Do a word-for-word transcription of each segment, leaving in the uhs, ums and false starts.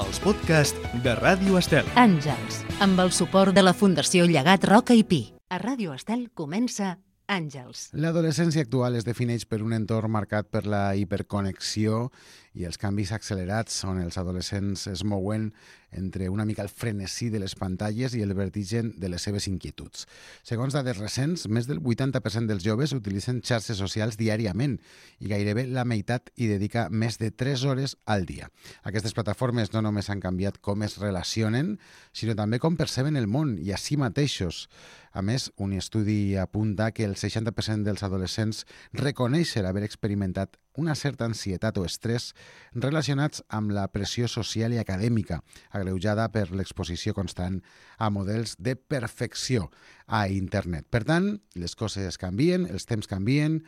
els podcasts de Ràdio Estel. Àngels, amb el suport de la Fundació Llegat Roca i Pi. A Ràdio Estel comença Àngels. L'adolescència actual es defineix per un entorn marcat per la hiperconnexió i els canvis accelerats on els adolescents es mouen entre una mica el frenesí de les pantalles i el vertigen de les seves inquietuds. Segons dades recents, més del vuitanta per cent dels joves utilitzen xarxes socials diàriament i gairebé la meitat hi dedica més de tres hores al dia. Aquestes plataformes no només han canviat com es relacionen, sinó també com perceben el món i a si mateixos. A més, un estudi apunta que el seixanta per cent dels adolescents reconeixen haver experimentat una certa ansietat o estrès relacionats amb la pressió social i acadèmica, agreujada per l'exposició constant a models de perfecció a internet. Per tant, les coses canvien, els temps canvien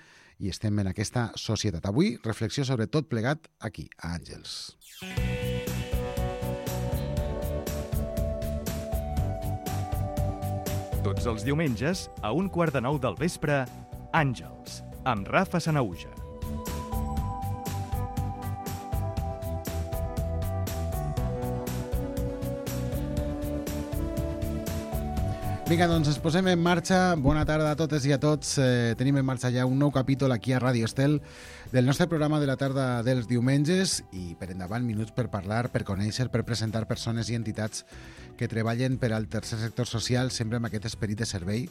i estem en aquesta societat. Avui, reflexió sobre tot plegat aquí, a Àngels. Tots els diumenges, a un quart de nou del vespre, Àngels, amb Rafa Sanahuja. Vinga, doncs ens posem en marxa. Bona tarda a totes i a tots. Eh, tenim en marxa ja un nou capítol aquí a Ràdio Estel del nostre programa de la tarda dels diumenges i per endavant minuts per parlar, per conèixer, per presentar persones i entitats que treballen per al tercer sector social, sempre amb aquest esperit de servei,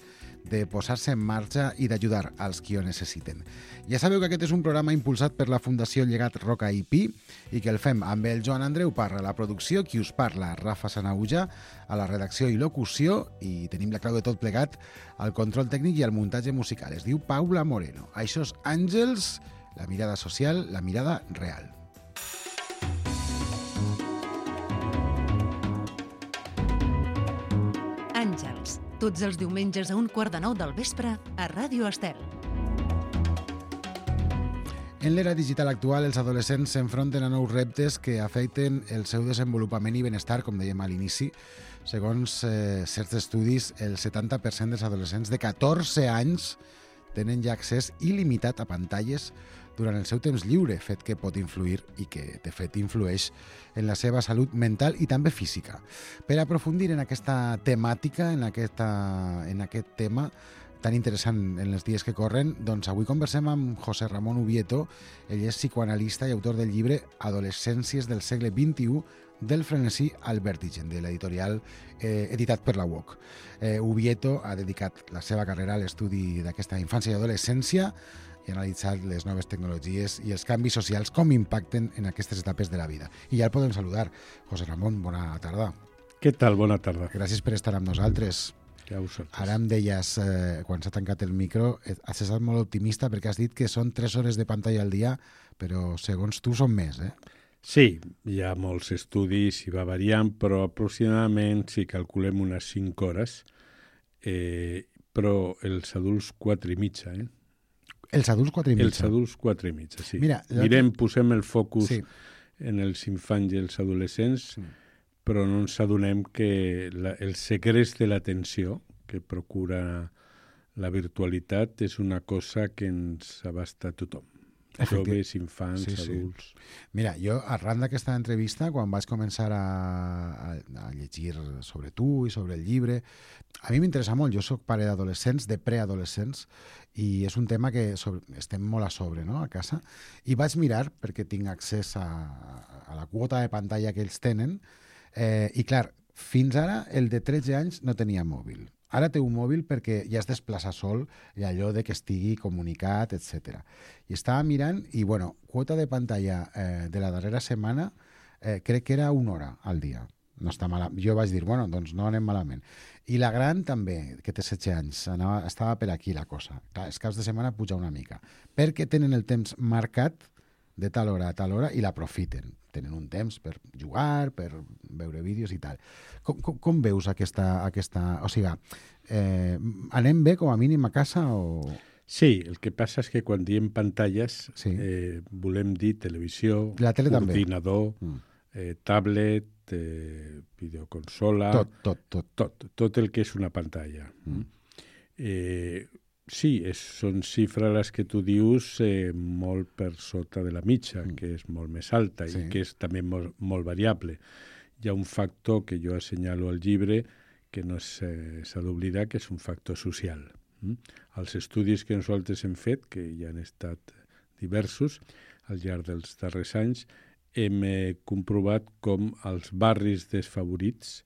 de posar-se en marxa i d'ajudar als qui ho necessiten. Ja sabeu que aquest és un programa impulsat per la Fundació Llegat Roca i Pi i que el fem amb el Joan Andreu Parra a la producció, qui us parla, Rafa Sanahuja, a la redacció i locució, i tenim la clau de tot plegat al control tècnic i al muntatge musical. Es diu Paula Moreno. Això és Àngels, la mirada social, la mirada real. Àngels, tots els diumenges a un quart de nou del vespre a Ràdio Estel. En l'era digital actual, els adolescents s'enfronten a nous reptes que afecten el seu desenvolupament i benestar, com dèiem a l'inici. Segons eh, certs estudis, el setanta per cent dels adolescents de catorze anys tenen ja accés il·limitat a pantalles durant el seu temps lliure, fet que pot influir i que, de fet, influeix en la seva salut mental i també física. Per aprofundir en aquesta temàtica, en, aquesta, en aquest tema tan interessant en els dies que corren, doncs avui conversem amb José Ramón Ubieto. Ell és psicoanalista i autor del llibre Adolescències del segle vint-i-u, del frenesí al vertigen, de l'editorial eh, editat per la U O C. Eh, Ubieto ha dedicat la seva carrera a l'estudi d'aquesta infància i adolescència i ha analitzat les noves tecnologies i els canvis socials, com impacten en aquestes etapes de la vida. I ja el podem saludar. José Ramón, bona tarda. Què tal? Bona tarda. Gràcies per estar amb nosaltres. Ja ho saps. Ara em deies, eh, quan s'ha tancat el micro, has estat molt optimista perquè has dit que són tres hores de pantalla al dia, però segons tu són més, eh? Sí, hi ha molts estudis i va variant, però aproximadament si calculem unes cinc hores, eh, però els adults quatre i mitja, eh? Els adults quatre i mitja? Els adults quatre i mitja, sí. Mira, Mirem, posem el focus sí. en els infants i els adolescents, Sí. però no ens adonem que la, el secret de l'atenció que procura la virtualitat és una cosa que ens abasta a tothom. Joves, infants, sí, sí. adults... Mira, jo arran d'aquesta entrevista, quan vaig començar a, a, a llegir sobre tu i sobre el llibre, a mi m'interessa molt. Jo sóc pare d'adolescents, de preadolescents, i és un tema que sobre, estem molt a sobre, no?, a casa. I vaig mirar, perquè tinc accés a, a la quota de pantalla que ells tenen, eh, i clar, fins ara el de tretze anys no tenia mòbil. Ara té un mòbil perquè ja es desplaça sol i allò de que estigui comunicat, etcètera. I estava mirant i, bueno, quota de pantalla eh, de la darrera setmana eh, crec que era una hora al dia. No està mal. Jo vaig dir, bueno, doncs no anem malament. I la gran també, que té setze anys, anava, estava per aquí la cosa. Clar, els caps de setmana puja una mica. Perquè tenen el temps marcat de tal hora a tal hora i l'aprofiten. Tenen un temps per jugar, per veure vídeos i tal. Com, com, com veus aquesta... aquesta o sigui, eh, anem bé com a mínim a casa o...? Sí, el que passa és que quan diem pantalles Sí. eh, volem dir televisió, La tele també. ordinador, Mm. eh, tablet, eh, videoconsola... Tot, tot, tot. tot. Tot el que és una pantalla. Mm. Eh, sí, és, són xifres les que tu dius eh, molt per sota de la mitja, Mm. que és molt més alta Sí. i que és també molt, molt variable. hi ha un factor que jo assenyalo al llibre que no s'ha d'oblidar, que és un factor social. Els estudis que nosaltres hem fet, que ja han estat diversos al llarg dels darrers anys, hem comprovat com als barris desfavorits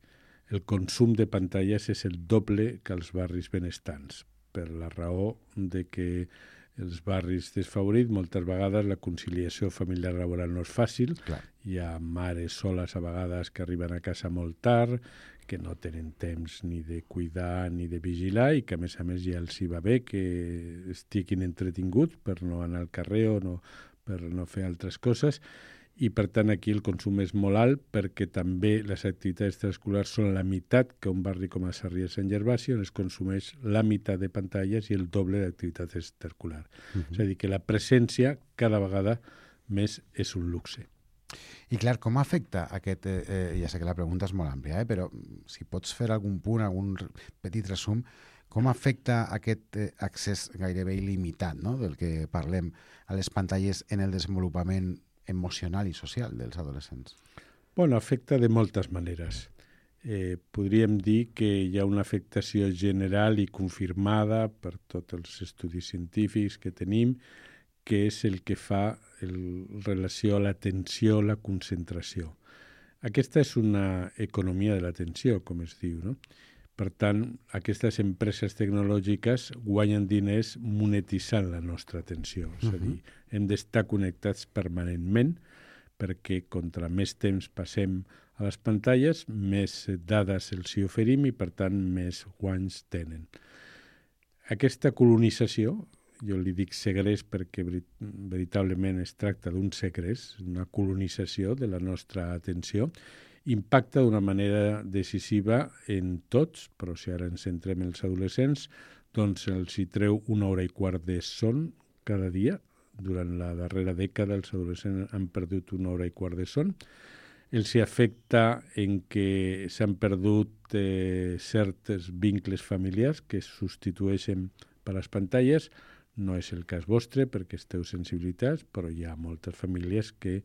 el consum de pantalles és el doble que als barris benestants, per la raó de que els barris desfavorits moltes vegades la conciliació familiar laboral no és fàcil. Clar. Hi ha mares soles a vegades que arriben a casa molt tard, que no tenen temps ni de cuidar ni de vigilar i que a més a més ja els hi va bé que estiguin entretinguts per no anar al carrer o no, per no fer altres coses. I per tant aquí el consum és molt alt perquè també les activitats extraescolars són la meitat que un barri com a Sarrià de Sant Gervasi, on es consumeix la meitat de pantalles i el doble d'activitat extraescolar. Uh -huh. És a dir, que la presència cada vegada més és un luxe. I clar, com afecta aquest... Eh, ja sé que la pregunta és molt àmplia, eh, però si pots fer algun punt, algun petit resum, com afecta aquest eh, accés gairebé il·limitat, no?, del que parlem a les pantalles en el desenvolupament emocional i social dels adolescents? Bueno, afecta de moltes maneres. Eh, podríem dir que hi ha una afectació general i confirmada per tots els estudis científics que tenim, que és el que fa el relació a l'atenció, la concentració. Aquesta és una economia de l'atenció, com es diu, no? Per tant, aquestes empreses tecnològiques guanyen diners monetitzant la nostra atenció. Uh-huh. És a dir, hem d'estar connectats permanentment perquè contra més temps passem a les pantalles, més dades els hi oferim i, per tant, més guanys tenen. Aquesta colonització, jo li dic segrest perquè veritablement es tracta d'un segrest, una colonització de la nostra atenció, impacta d'una manera decisiva en tots, però si ara ens centrem en els adolescents, doncs els hi treu una hora i quart de son cada dia. Durant la darrera dècada els adolescents han perdut una hora i quart de son. Els hi afecta en què s'han perdut eh, certs vincles familiars que es substitueixen per les pantalles. No és el cas vostre perquè esteu sensibilitats, però hi ha moltes famílies que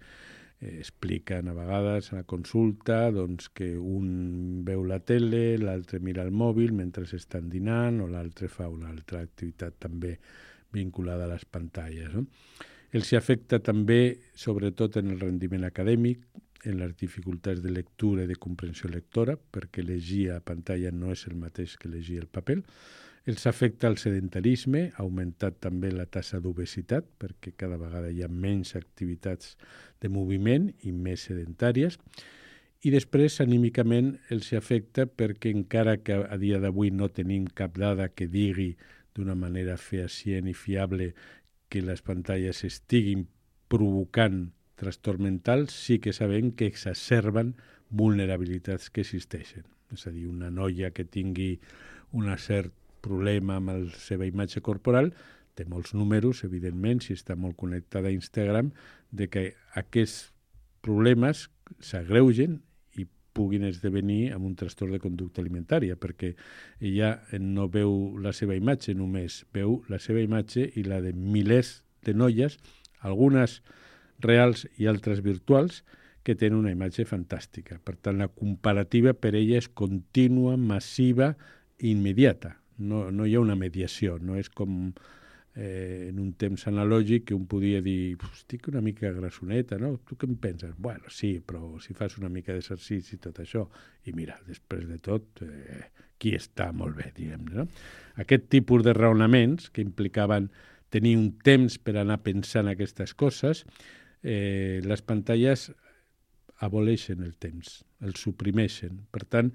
eh, expliquen a vegades a la consulta doncs, que un veu la tele, l'altre mira el mòbil mentre estan dinant o l'altre fa una altra activitat també vinculada a les pantalles. No? Els hi afecta també, sobretot en el rendiment acadèmic, en les dificultats de lectura i de comprensió lectora, perquè llegir a pantalla no és el mateix que llegir el paper. Els afecta el sedentarisme, ha augmentat també la taxa d'obesitat, perquè cada vegada hi ha menys activitats de moviment i més sedentàries. I després, anímicament, els afecta perquè encara que a dia d'avui no tenim cap dada que digui d'una manera fehacient i fiable que les pantalles estiguin provocant trastorn mental, sí que sabem que exacerben vulnerabilitats que existeixen. És a dir, una noia que tingui un cert problema amb la seva imatge corporal té molts números, evidentment, si està molt connectada a Instagram, de que aquests problemes s'agreugen i puguin esdevenir amb un trastorn de conducta alimentària, perquè ella no veu la seva imatge només, veu la seva imatge i la de milers de noies, algunes reals i altres virtuals, que tenen una imatge fantàstica. Per tant, la comparativa per ella és contínua, massiva i immediata. No, no hi ha una mediació, no és com eh, en un temps analògic que un podia dir estic una mica grassoneta, no? Tu què em penses? Bueno, sí, però si fas una mica d'exercici i tot això, i mira, després de tot, eh, qui està molt bé, diguem-ne, no? Aquest tipus de raonaments que implicaven tenir un temps per anar pensant aquestes coses, eh, les pantalles aboleixen el temps, el suprimeixen. Per tant,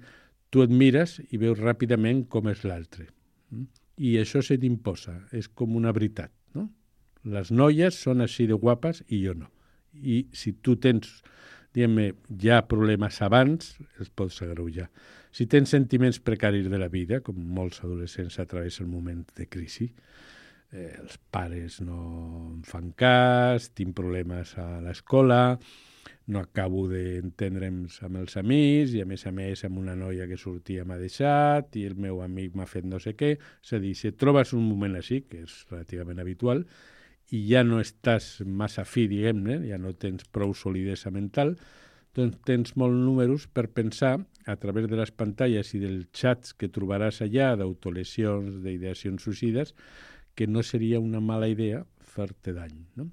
tu et mires i veus ràpidament com és l'altre. I això se t'imposa, és com una veritat. No? Les noies són així de guapes i jo no. I si tu tens, diguem-ne, ja problemes abans, els pots agreujar. Si tens sentiments precaris de la vida, com molts adolescents atravessen el moment de crisi, eh, els pares no em fan cas, tinc problemes a l'escola, no acabo d'entendre'ns amb els amics i, a més a més, amb una noia que sortia m'ha deixat i el meu amic m'ha fet no sé què. És a dir, si et trobes un moment així, que és relativament habitual, i ja no estàs massa fi, diguem-ne, ja no tens prou solidesa mental, doncs tens molts números per pensar, a través de les pantalles i dels xats que trobaràs allà d'autolesions, d'ideacions suïcides, que no seria una mala idea fer-te dany, no?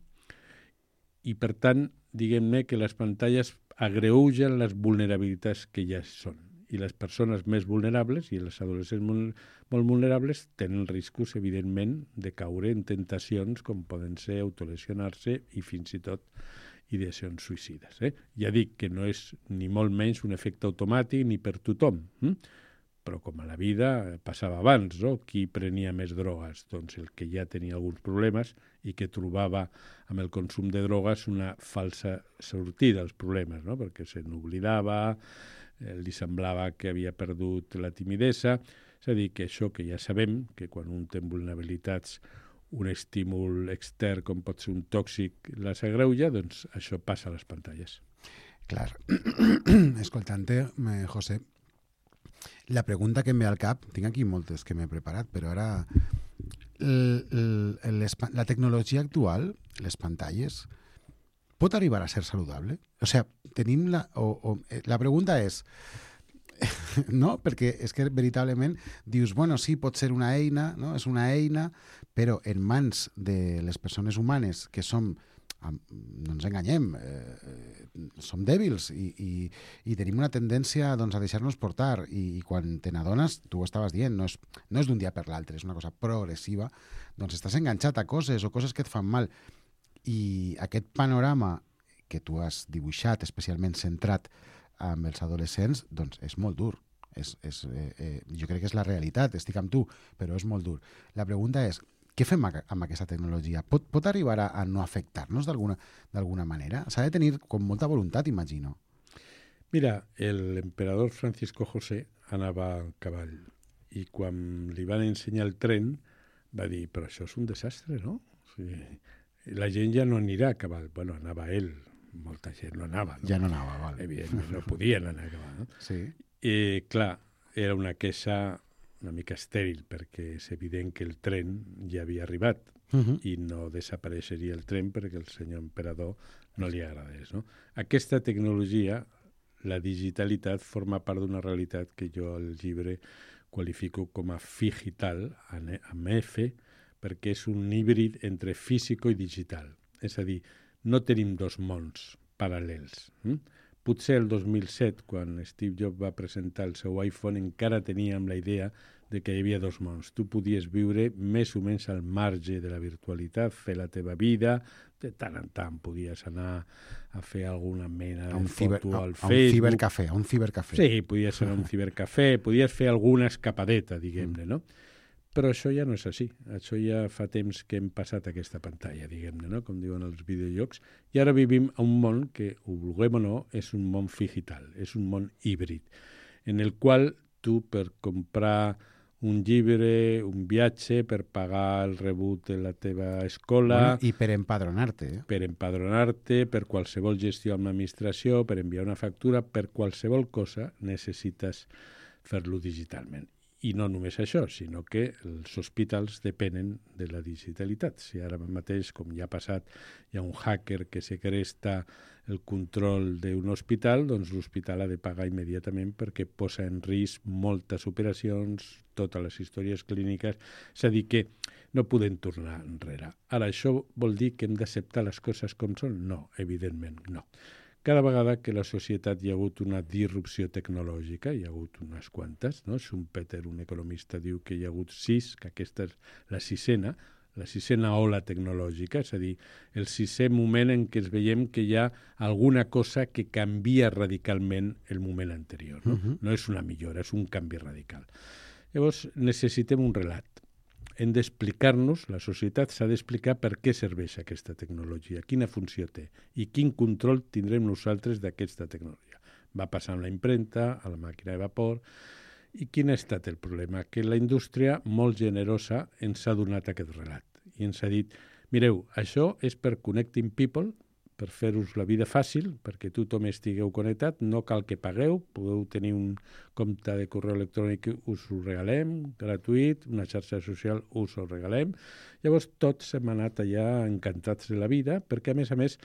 I, per tant, diguem-ne que les pantalles agreugen les vulnerabilitats que ja són. I les persones més vulnerables i els adolescents molt, molt vulnerables tenen riscos, evidentment, de caure en tentacions com poden ser autolesionar-se i fins i tot ideacions suïcides. Eh? Ja dic que no és ni molt menys un efecte automàtic ni per tothom, hm? Però com a la vida passava abans, no? Qui prenia més drogues? Doncs el que ja tenia alguns problemes i que trobava amb el consum de drogues una falsa sortida als problemes, no? Perquè se n'oblidava, eh, li semblava que havia perdut la timidesa. És a dir, que això que ja sabem, que quan un té vulnerabilitats, un estímul extern com pot ser un tòxic les agreuja, doncs això passa a les pantalles. Clar. Escoltant-te, José, la pregunta que em ve al cap, tinc aquí moltes que m'he preparat, però ara el, el, la tecnologia actual, les pantalles, pot arribar a ser saludable? O sigui, tenim la... O, o, la pregunta és... no? Perquè és que veritablement dius, bueno, sí, pot ser una eina, no? És una eina, però en mans de les persones humanes que som, no ens enganyem, eh, som dèbils i, i, i tenim una tendència doncs, a deixar-nos portar i, i quan te n'adones, tu ho estaves dient, no és, no és d'un dia per l'altre, és una cosa progressiva, doncs estàs enganxat a coses o coses que et fan mal. I aquest panorama que tu has dibuixat, especialment centrat amb els adolescents, doncs és molt dur. És, és, eh, eh, jo crec que és la realitat, estic amb tu, però és molt dur. La pregunta és, què fem amb aquesta tecnologia? Pot, pot arribar a, a no afectar-nos d'alguna manera? S'ha de tenir com molta voluntat, imagino. Mira, l'emperador Francisco José anava a cavall i quan li van ensenyar el tren va dir, però això és un desastre, no? O sigui, la gent ja no anirà a cavall. Bueno, anava ell, molta gent no anava. No? Ja no anava, val. Evidentment, no podien anar a cavall. No? Sí. I, clar, era una queixa una mica estèril, perquè és evident que el tren ja havia arribat uh -huh. i no desapareixeria el tren perquè el senyor emperador no li agradés. No? Aquesta tecnologia, la digitalitat, forma part d'una realitat que jo al llibre qualifico com a figital, amb F, perquè és un híbrid entre físico i digital. És a dir, no tenim dos mons paral·lels. Hm? Potser el dos mil set, quan Steve Jobs va presentar el seu iPhone, encara teníem la idea de que hi havia dos mons. Tu podies viure més o menys al marge de la virtualitat, fer la teva vida, de tant en tant podies anar a fer alguna mena de foto al Facebook. A un cibercafè, a un cibercafè. Sí, podies anar a un cibercafè, podies fer alguna escapadeta, diguem-ne, no? Però això ja no és així. Això ja fa temps que hem passat aquesta pantalla, diguem-ne, no? Com diuen els videojocs. I ara vivim a un món que, ho vulguem o no, és un món digital, és un món híbrid, en el qual tu, per comprar un llibre, un viatge, per pagar el rebut de la teva escola... Bueno, i per empadronar-te. Eh? Per empadronar-te, per qualsevol gestió amb l'administració, per enviar una factura, per qualsevol cosa necessites fer-lo digitalment. I no només això, sinó que els hospitals depenen de la digitalitat. Si ara mateix, com ja ha passat, hi ha un hacker que segresta el control d'un hospital, doncs l'hospital ha de pagar immediatament perquè posa en risc moltes operacions, totes les històries clíniques. És a dir, que no podem tornar enrere. Ara, això vol dir que hem d'acceptar les coses com són? No, evidentment no. Cada vegada que la societat hi ha hagut una disrupció tecnològica, hi ha hagut unes quantes, no? Schumpeter, un economista, diu que hi ha hagut sis, que aquesta és la sisena, la sisena ola tecnològica, és a dir, el sisè moment en què es veiem que hi ha alguna cosa que canvia radicalment el moment anterior. No, uh-huh. No és una millora, és un canvi radical. Llavors, necessitem un relat. Hem d'explicar-nos, la societat s'ha d'explicar per què serveix aquesta tecnologia, quina funció té i quin control tindrem nosaltres d'aquesta tecnologia. Va passar amb la impremta, a la màquina de vapor, i quin ha estat el problema? Que la indústria, molt generosa, ens ha donat aquest relat i ens ha dit, mireu, això és per Connecting People, per fer-vos la vida fàcil, perquè tothom estigueu connectat, no cal que pagueu, podeu tenir un compte de correu electrònic, us ho regalem, gratuït, una xarxa social, us ho regalem. Llavors tots hem anat allà encantats de la vida, perquè a més a més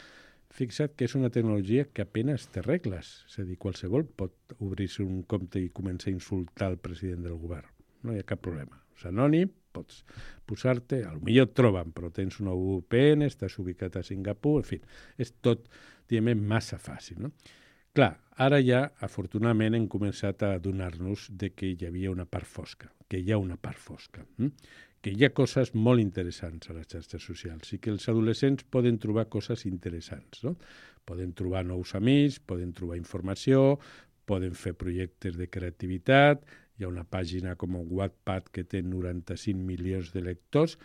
fixa't que és una tecnologia que apenas té regles. És a dir, qualsevol pot obrir-se un compte i començar a insultar el president del govern. No hi ha cap problema. És anònim, pots posar-te, potser et troben, però tens una V P N, estàs ubicat a Singapur, en fi, és tot, diguem, massa fàcil, no? Clar, ara ja, afortunadament, hem començat a adonar-nos de que hi havia una part fosca, que hi ha una part fosca, hm? que hi ha coses molt interessants a les xarxes socials i que els adolescents poden trobar coses interessants, no? Poden trobar nous amics, poden trobar informació, poden fer projectes de creativitat, hi ha una pàgina com Wattpad que té noranta-cinc milions de lectors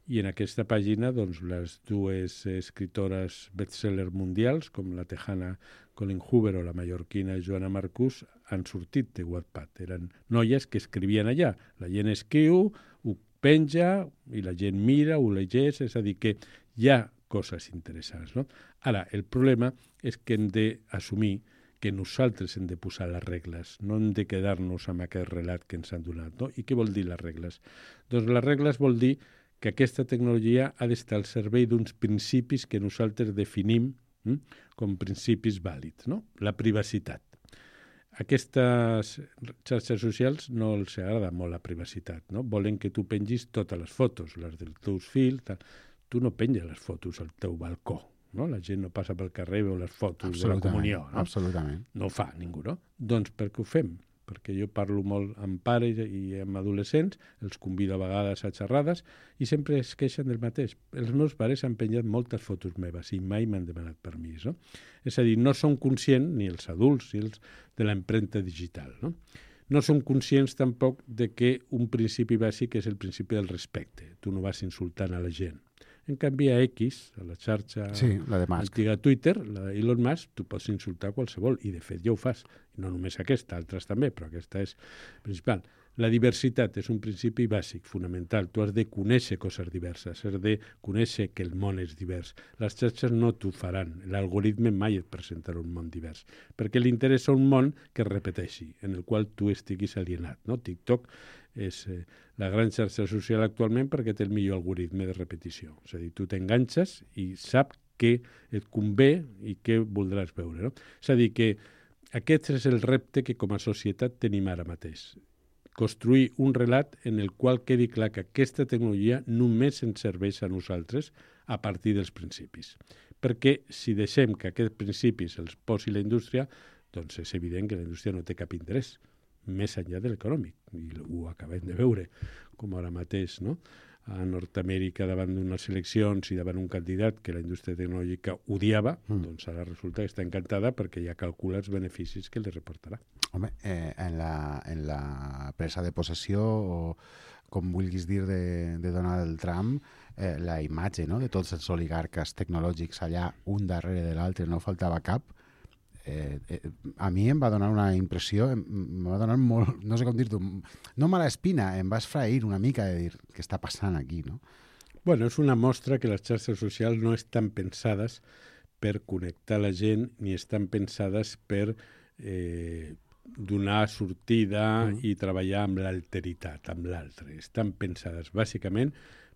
i en aquesta pàgina doncs, les dues escritores bestseller mundials, com la tejana Colin Hoover o la mallorquina Joana Marcús, han sortit de Wattpad. Eren noies que escrivien allà. La gent escriu, ho penja i la gent mira, ho llegeix, és a dir, que hi ha coses interessants, no? Ara, el problema és que hem d'assumir que nosaltres hem de posar les regles, no hem de quedar-nos amb aquest relat que ens han donat, no? I què vol dir les regles? Doncs les regles vol dir que aquesta tecnologia ha d'estar al servei d'uns principis que nosaltres definim hm, com principis vàlids, no? La privacitat. Aquestes xarxes socials no els agrada molt la privacitat, no? Volen que tu pengis totes les fotos, les dels teus fills, tal. Tu no penges les fotos al teu balcó, no? La gent no passa pel carrer i veu les fotos de la comunió, no? Absolutament. No ho fa ningú, no? Doncs per què ho fem? Perquè jo parlo molt amb pares i amb adolescents, els convido a vegades a xerrades i sempre es queixen del mateix. Els meus pares han penjat moltes fotos meves i mai m'han demanat permís, no? És a dir, no són conscients, ni els adults, ni els de l'empremta digital, no? No són conscients tampoc de que un principi bàsic és el principi del respecte. Tu no vas insultant a la gent. En canvi, a X, a la xarxa sí, la de antiga Twitter, la d'Elon Musk, tu pots insultar qualsevol, i de fet ja ho fas. No només aquesta, altres també, però aquesta és principal. La diversitat és un principi bàsic, fonamental. Tu has de conèixer coses diverses, has de conèixer que el món és divers. Les xarxes no t'ho faran. L'algoritme mai et presentarà un món divers, perquè li interessa un món que es repeteixi, en el qual tu estiguis alienat, no? TikTok és eh, la gran xarxa social actualment perquè té el millor algoritme de repetició. És a dir, tu t'enganxes i sap què et convé i què voldràs veure, no? És a dir, que aquest és el repte que com a societat tenim ara mateix. Construir un relat en el qual quedi clar que aquesta tecnologia només ens serveix a nosaltres a partir dels principis. Perquè si deixem que aquests principis els posi la indústria, doncs és evident que la indústria no té cap interès, més enllà de l'econòmic. I ho acabem de veure, com ara mateix, no? A Nord-Amèrica, davant d'unes eleccions i davant un candidat que la indústria tecnològica odiava, mm. doncs ara resulta que està encantada perquè ja calcula els beneficis que li reportarà. Home, eh, en, la, en la presa de possessió, o com vulguis dir, de, de Donald Trump, eh, la imatge, no?, de tots els oligarques tecnològics allà, un darrere de l'altre, no faltava cap, eh, eh, a mi em va donar una impressió, em va donar molt, no sé com dir-t'ho, no mala espina, em va esfrair una mica de dir què està passant aquí, no? Bueno, és una mostra que les xarxes socials no estan pensades per connectar la gent ni estan pensades per eh, donar sortida mm. i treballar amb l'alteritat, amb l'altre. Estan pensades bàsicament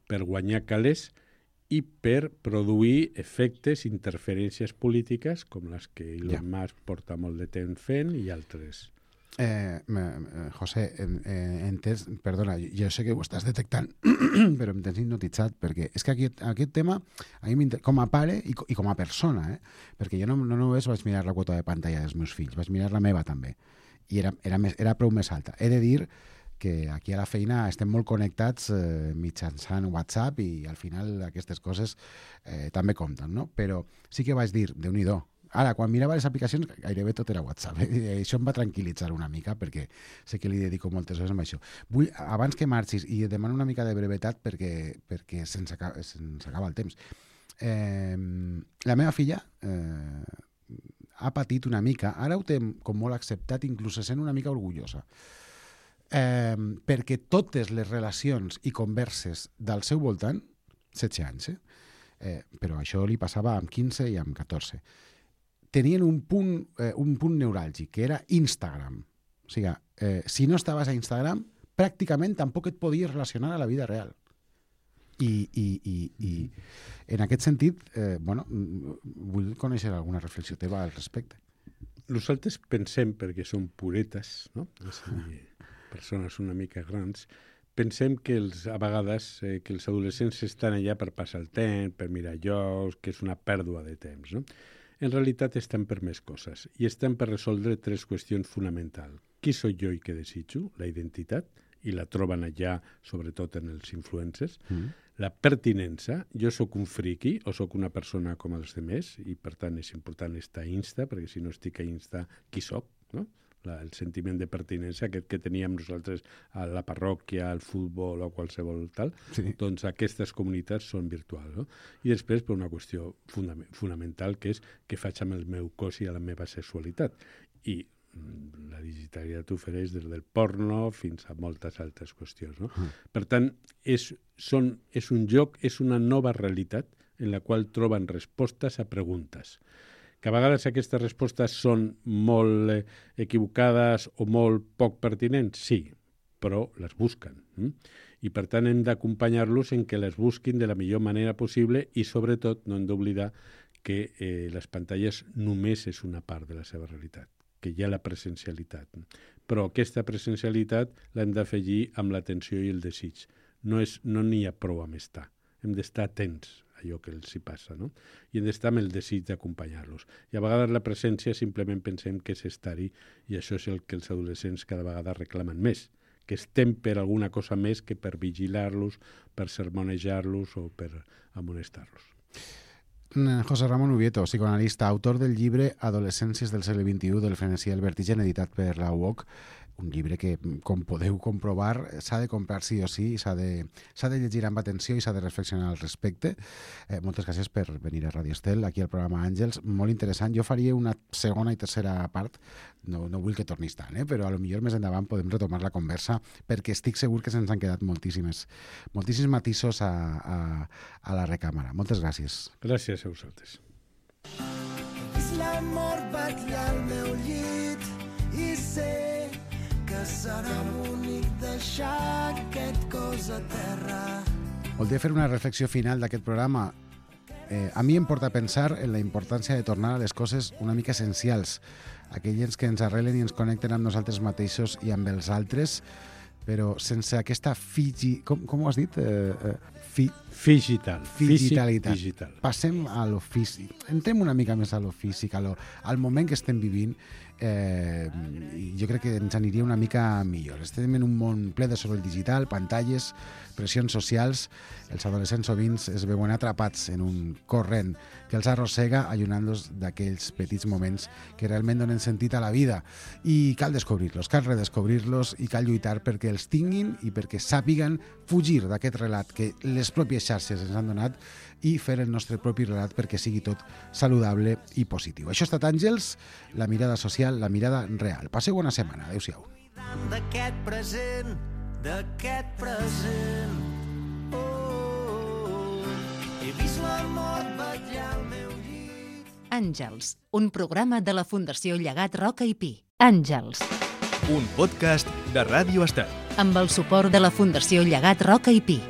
per guanyar calés i per produir efectes, interferències polítiques com les que Elon ja. Musk porta molt de temps fent i altres. Eh, eh, José, eh, entens, perdona, jo sé que ho estàs detectant, però em tens hipnotitzat, perquè és que aquest, aquest tema, a mi com a pare i, i com a persona, eh, perquè jo no, no només vaig mirar la quota de pantalla dels meus fills, vaig mirar la meva també, i era, era, més, era prou més alta. He de dir que aquí a la feina estem molt connectats eh, mitjançant WhatsApp i al final aquestes coses eh, també compten, no? Però sí que vaig dir, Déu-n'hi-do, ara, quan mirava les aplicacions, gairebé tot era WhatsApp. Eh? Això em va tranquil·litzar una mica, perquè sé que li dedico moltes hores a això. Vull, abans que marxis, i et demano una mica de brevetat perquè, perquè se'ns acaba, se'ns acaba el temps. Eh, la meva filla eh, ha patit una mica, ara ho té com molt acceptat, inclús sent una mica orgullosa, eh, perquè totes les relacions i converses del seu voltant, setze anys, eh? Eh, però això li passava amb quinze i amb catorze, tenien un punt, eh, un punt neuràlgic, que era Instagram. O sigui, eh, si no estaves a Instagram, pràcticament tampoc et podies relacionar a la vida real. I, i, i, i en aquest sentit, eh, bueno, vull conèixer alguna reflexió teva al respecte. Nosaltres pensem, perquè som puretes, no? És a dir, persones una mica grans, pensem que els, a vegades eh, que els adolescents estan allà per passar el temps, per mirar jocs, que és una pèrdua de temps, no? En realitat estan per més coses i estan per resoldre tres qüestions fonamentals. Qui soc jo i què desitjo? La identitat, i la troben allà, sobretot en els influencers. Mm. La pertinença, jo sóc un friqui o sóc una persona com els demés i per tant és important estar a Insta, perquè si no estic a Insta, qui soc? No? La, el sentiment de pertinença, aquest que teníem nosaltres a la parròquia, al futbol o qualsevol tal, sí. Doncs aquestes comunitats són virtuals. No? I després per una qüestió fundament, fonamental, que és què faig amb el meu cos i a la meva sexualitat. I la digitalitat ofereix des del porno fins a moltes altres qüestions. No? Mm. Per tant, és, són, és un joc, és una nova realitat en la qual troben respostes a preguntes. Que a vegades aquestes respostes són molt eh, equivocades o molt poc pertinents, sí, però les busquen. Mm? I per tant hem d'acompanyar-los en que les busquin de la millor manera possible i sobretot no hem d'oblidar que eh, les pantalles només és una part de la seva realitat, que hi ha la presencialitat. Però aquesta presencialitat l'hem d'afegir amb l'atenció i el desig. No és, no n'hi ha prou amb estar. Hem d'estar atents a allò que els hi passa, no? I hem d'estar amb el desig d'acompanyar-los. I a vegades la presència simplement pensem que és estar-hi i això és el que els adolescents cada vegada reclamen més, que estem per alguna cosa més que per vigilar-los, per sermonejar-los o per amonestar-los. José Ramón Ubieto, psicoanalista, autor del llibre Adolescències del segle vint-i-u, del frenesí al vertigen, editat per la U O C, un llibre que, com podeu comprovar, s'ha de comprar sí o sí, s'ha de, s'ha de llegir amb atenció i s'ha de reflexionar al respecte. Eh, moltes gràcies per venir a Radio Estel, aquí al programa Àngels, molt interessant. Jo faria una segona i tercera part, no, no vull que tornis tant, eh? Però a lo millor més endavant podem retomar la conversa, perquè estic segur que se'ns han quedat moltíssimes, moltíssims matisos a, a, a la recàmera. Moltes gràcies. Gràcies a vosaltres. És l'amor vetllar al meu llit i sé que serà bonic deixar aquest cos a terra. Voldria fer una reflexió final d'aquest programa. Eh, a mi em porta a pensar en la importància de tornar a les coses una mica essencials, aquelles que ens arrelen i ens connecten amb nosaltres mateixos i amb els altres, però sense aquesta figi... Com, com ho has dit? Eh, eh, fi... Figital. Figitalitat. Digital. Passem a lo físic. Entrem una mica més a lo físic, a lo, al moment que estem vivint. Eh, jo crec que ens aniria una mica millor. Estem en un món ple de soroll digital, pantalles, pressions socials. Els adolescents sovint es veuen atrapats en un corrent que els arrossega, allunyant-los d'aquells petits moments que realment donen sentit a la vida. I cal descobrir-los, cal redescobrir-los i cal lluitar perquè els tinguin i perquè sàpiguen fugir d'aquest relat que les pròpies xarxes ens han donat i fer el nostre propi relat perquè sigui tot saludable i positiu. Això ha estat Àngels, la mirada social, la mirada real. Passeu bona setmana. Adéu-siau. D'aquest present, d'aquest present, oh, oh, oh. He vist la mort vetllar al meu llit. Àngels, un programa de la Fundació Llegat Roca i Pi. Àngels. Un podcast de Ràdio Estel. Amb el suport de la Fundació Llegat Roca i Pi.